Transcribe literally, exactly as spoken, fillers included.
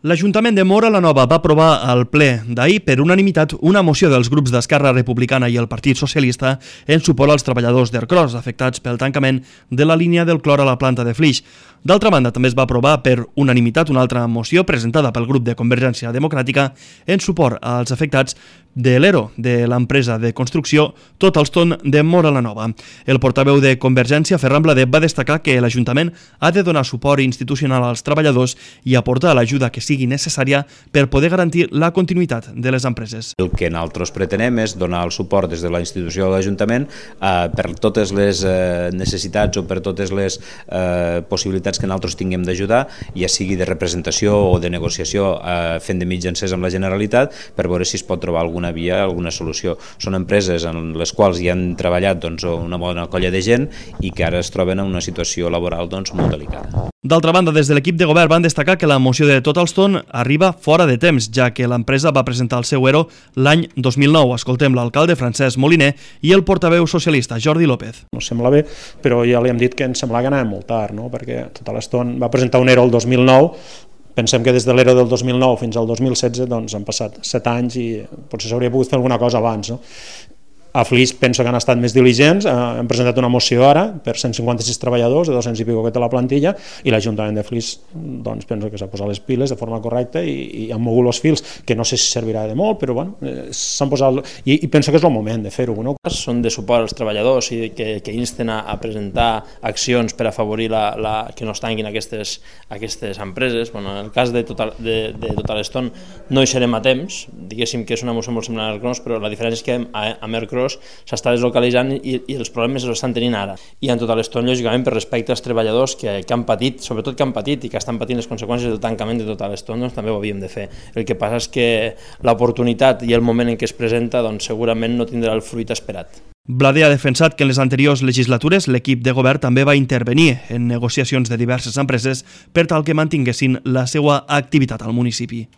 L'Ajuntament de Móra la Nova va aprovar al ple d'ahir per unanimitat una moció dels grups d'Esquerra Republicana i el Partit Socialista en suport als treballadors d'Ercros afectats pel tancament de la línia del clor a la planta de Flix. D'altra banda, també es va aprovar per unanimitat una altra moció presentada pel grup de Convergència Democràtica en suport als afectats de l'ERO de l'empresa de construcció Totalstone de Móra la Nova. El portaveu de Convergència, Ferran Bladet, va destacar que l'Ajuntament ha de donar suport institucional als treballadors i aportar l'ajuda que sigui necessària per poder garantir la continuïtat de les empreses. El que nosaltres pretenem és donar el suport des de la institució de l'Ajuntament eh, per totes les eh, necessitats o per totes les eh, possibilitats que nosaltres tinguem d'ajudar, ja sigui de representació o de negociació eh, fent de mitjancers amb la Generalitat per veure si es pot trobar alguna via, alguna solució. Són empreses en les quals hi han treballat doncs, una bona colla de gent i que ara es troben en una situació laboral doncs, molt delicada. D'altra banda, des de l'equip de govern van destacar que la moció de Totalstone arriba fora de temps, ja que l'empresa va presentar el seu ERO l'any dos mil nou. Escoltem l'alcalde Francesc Moliner i el portaveu socialista Jordi López. No sembla bé, però ja li hem dit que ens sembla que anàvem molt tard, no? Perquè Totalstone va presentar un ERO el dos mil nou. Pensem que des de l'ERO del dos mil nou fins al dos mil setze doncs, han passat set anys i potser s'hauria pogut fer alguna cosa abans. No? A Flix penso que han estat més diligents, eh, hem presentat una moció ara per cent cinquanta-sis treballadors, de dos-cents i pico que té la plantilla, i l'Ajuntament de Flix doncs, penso que s'ha posat les piles de forma correcta i, i han mogut els fils, que no sé si servirà de molt, però bueno, eh, s'han posat... I, I penso que és el moment de fer-ho. No? Són de suport als treballadors i que, que insten a, a presentar accions per afavorir la, la, que no es tanquin aquestes, aquestes empreses. Bueno, en el cas de, Total, de, de Totalstone no hi serem a temps, diguéssim que és una moció molt semblant a Ercros, però la diferència és que a, a Ercros s'està deslocalitzant i, i els problemes els estan tenint ara. I en Totalstone, lògicament, per respecte als treballadors que, que han patit, sobretot que han patit i que estan patint les conseqüències del tancament de Totalstone, doncs també ho havíem de fer. El que passa és que l'oportunitat i el moment en què es presenta doncs, segurament no tindrà el fruit esperat. Bladet ha defensat que en les anteriors legislatures l'equip de govern també va intervenir en negociacions de diverses empreses per tal que mantinguessin la seva activitat al municipi.